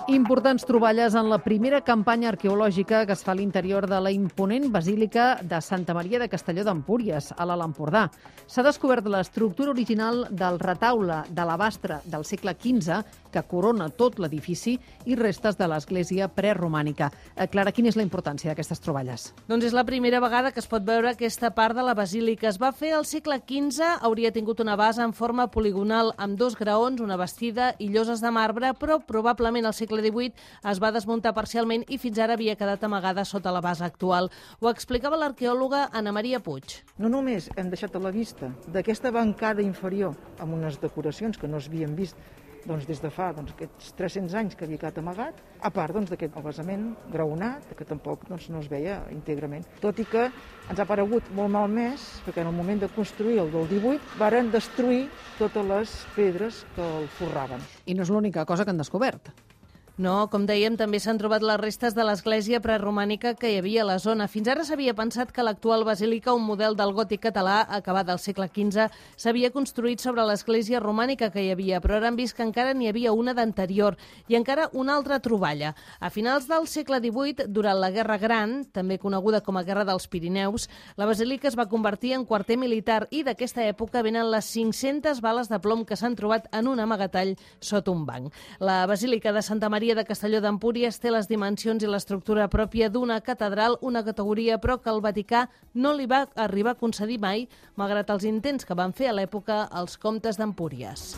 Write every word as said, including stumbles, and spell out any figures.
Importants troballes en la primera campanya arqueològica que es fa a l'interior de la imponent basílica de Santa Maria de Castelló d'Empúries, a l'Alt Empordà. S'ha descobert l'estructura original del retaule d'alabastre del segle quinze que corona tot l'edifici i restes de l'església preromànica. Eh, Clara, quina és la importància d'aquestes troballes? Doncs és la primera vegada que es pot veure aquesta part de la basílica. Es va fer al segle quinze, hauria tingut una base en forma poligonal amb dos graons, una bastida i lloses de marbre, però probablement al segle divuit es va desmuntar parcialment i fins ara havia quedat amagada sota la base actual. Ho explicava l'arqueòloga Anna Maria Puig. No només hem deixat a la vista d'aquesta bancada inferior amb unes decoracions que no s'havien vist doncs, des de fa doncs, aquests tres-cents anys que havia quedat amagat, a part doncs, d'aquest basament graonat, que tampoc doncs, no es veia íntegrament. Tot i que ens ha paregut molt malmès, perquè en el moment de construir el del divuit varen destruir totes les pedres que el forraven. I no és l'única cosa que han descobert. No, com dèiem, també s'han trobat les restes de l'església preromànica que hi havia a la zona. Fins ara s'havia pensat que l'actual basílica, un model del gòtic català acabat al segle quinze, s'havia construït sobre l'església romànica que hi havia, però ara han vist que encara n'hi havia una d'anterior i encara una altra troballa. A finals del segle divuit, durant la Guerra Gran, també coneguda com a Guerra dels Pirineus, la basílica es va convertir en quarter militar i d'aquesta època venen les cinc-centes bales de plom que s'han trobat en un amagatall sota un banc. La basílica de Santa Maria de Castelló d'Empúries té les dimensions i l'estructura pròpia d'una catedral, una categoria però que el Vaticà no li va arribar a concedir mai, malgrat els intents que van fer a l'època els comtes d'Empúries.